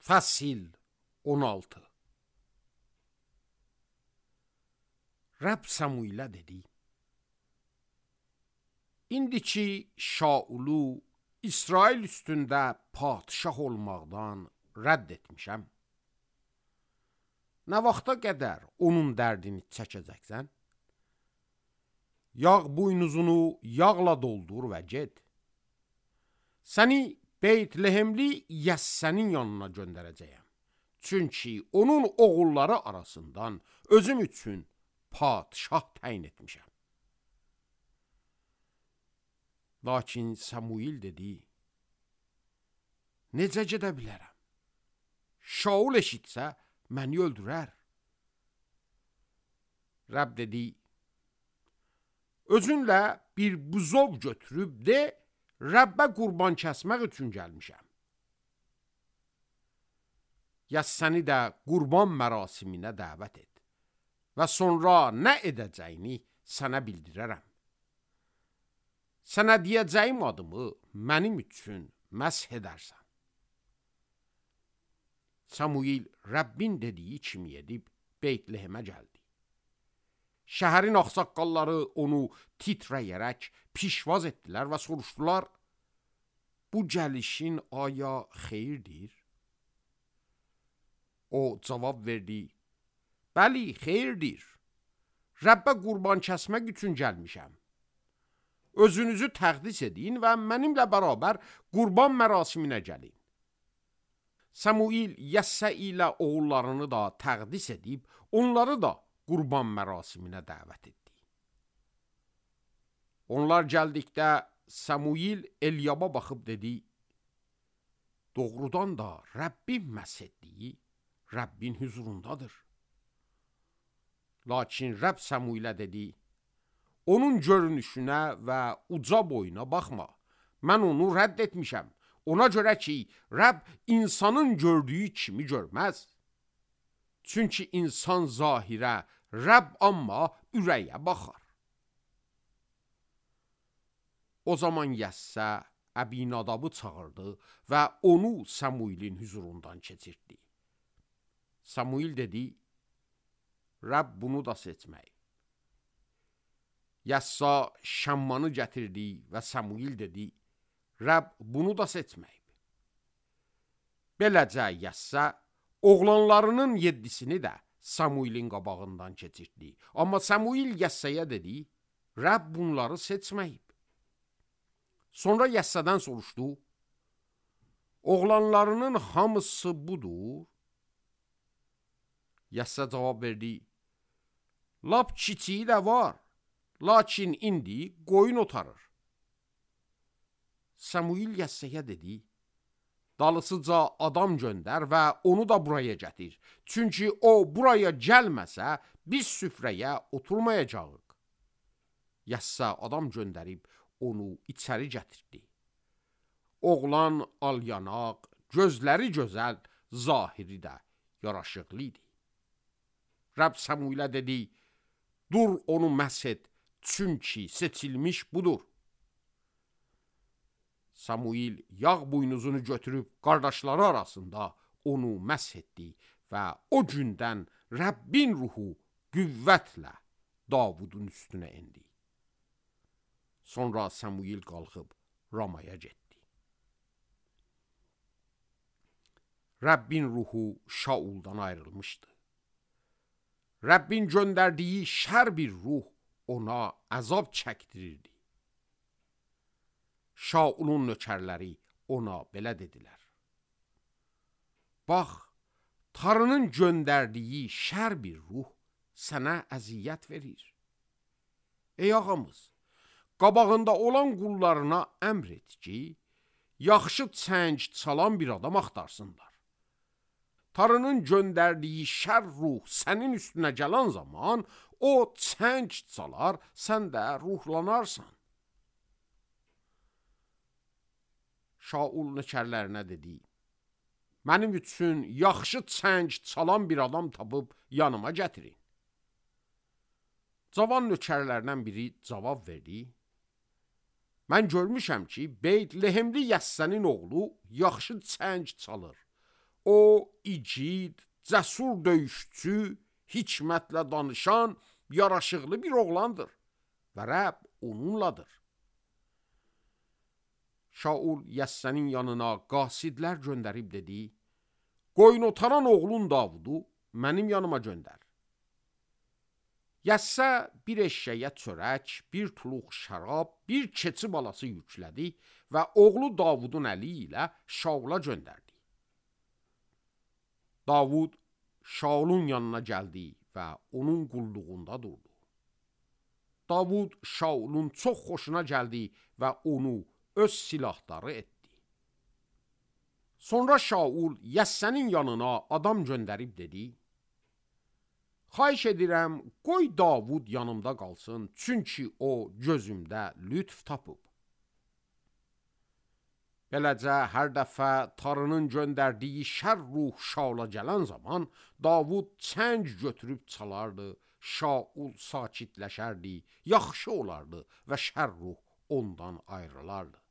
Fəsil 16. Rəbb Səmuilə dedi: İndi ki Şaulu İsrail üstündə padişah olmaqdan rədd etmişəm, nə vaxta qədər onun dərdini çəkəcəksən? Yağ buynuzunu yağla doldur və get. Səni Beytlehemli Yəssənin yanına göndərəcəyəm. Çünki onun oğulları arasından özüm üçün padişah təyin etmişəm. Lakin Samuil dedi: Necə gedə bilərəm? Şaul eşitsə məni öldürər. Rəbb dedi: Özünlə bir buzov götürüb de, Rəbbə qurban kəsmək üçün gəlmişəm. Yəssəni də qurban mərasiminə dəvət et və sonra nə edəcəyini sənə bildirərəm. Sənə deyəcəyim adımı mənim üçün məsh edərsən. Samuil Rəbbin dediyi kimi edib Beytlehemə gəldi. Şəhərin ağsaqqalları onu titrəyərək pişvaz etdilər və soruşdular: Bu gəlişin aya xeyirdir? O cavab verdi: Bəli, xeyirdir. Rəbbə qurban kəsmək üçün gəlmişəm. Özünüzü təqdis edin və mənimlə bərabər qurban mərasiminə gəlin. Samuil Yəssə ilə oğullarını da təqdis edib, onları da qurban mərasiminə dəvət etdi. Onlar gəldikdə Samuil Elyaba baxıb dedi: Doğrudan da Rəbbin məsh etdiyi Rəbbin huzurundadır. Lakin Rəbb Samuilə dedi: Onun görünüşünə və uca boyuna baxma. Mən onu rədd etmişəm. Ona görə ki, Rəbb insanın gördüyü kimi görməz. Çünki insan zahirə, Rəbb amma ürəyə baxar. O zaman Yəssə Əbinadabı çağırdı və onu Samuilin huzurundan keçirtdi. Samuil dedi: Rəbb bunu da seçməyib. Yəssa Şammanı gətirdi və Samuil dedi: Rəbb bunu da seçməyib. Beləcə Yəssa oğlanlarının 7-sini də Samuilin qabağından keçirtdi. Amma Samuil Yəssəyə dedi: Rəbb bunları seçməyib. Sonra Yəssədən soruşdu: Oğlanlarının hamısı budur? Yəssə cavab verdi: Lap kiçiyi də var, lakin indi qoyun otarır. Samuil Yəssəyə dedi: Dalısıca adam göndər və onu da buraya gətir. Çünki o buraya gəlməsə, biz süfrəyə oturmayacağıq. Yəssə adam göndərib onu içəri gətirdi. Oğlan alyanaq, gözləri gözəl, zahiri də yaraşıqlı idi. Rəbb Samuilə dedi: Dur onu məsh et, çünki seçilmiş budur. Samuil yağ buynuzunu götürüb qardaşları arasında onu məsh etdi və o gündən Rəbbin ruhu qüvvətlə Davudun üstünə indi. Sonra Samuil qalxıb Ramaya getdi. Rəbbin ruhu Şauldan ayrılmışdı. Rəbbin göndərdiyi şər bir ruh ona əzab çəkdirirdi. Şaulun nökərləri ona belə dedilər: Bax, Tanrının göndərdiyi şər bir ruh sənə əziyyət verir. Ey ağamız, qabağında olan qullarına əmr et ki, yaxşı çəng çalan bir adam axtarsınlar. Tanrının göndərdiyi şər ruh sənin üstünə gələn zaman o çəng çalar, sən də ruhlanarsan. Şaul nökərlərinə dedi: Mənim üçün yaxşı çəng çalan bir adam tapıb yanıma gətirin. Cavan nökərlərdən biri cavab verdi: Mən görmüşəm ki, Beytlehemli Yəssənin oğlu yaxşı çəng çalır. O igid, cəsur döyüşçü, hikmətlə danışan, yaraşıqlı bir oğlandır və Rəbb onunladır. Şaul Yəssənin yanına qasidlər göndərib dedi, qoyun otaran oğlun Davudu mənim yanıma göndər. Yəssə bir eşşəyə çörək, bir tuluq şərab, bir keçi balası yüklədi və oğlu Davudun əli ilə Şaula göndərdi. Davud Şaulun yanına gəldi və onun qulluğunda durdu. Davud Şaulun çox xoşuna gəldi və onu öz silahdarı etdi. Sonra Şaul Yəssənin yanına adam göndərib dedi, xahiş edirəm, qoy Davud yanımda qalsın, çünki o gözümdə lütf tapıb. Beləcə, hər dəfə Tanrının göndərdiyi şər ruh Şaula gələn zaman, Davud çəng götürüb çalardı, Şaul sakitləşərdi, yaxşı olardı və şər ruh ondan ayrılardı.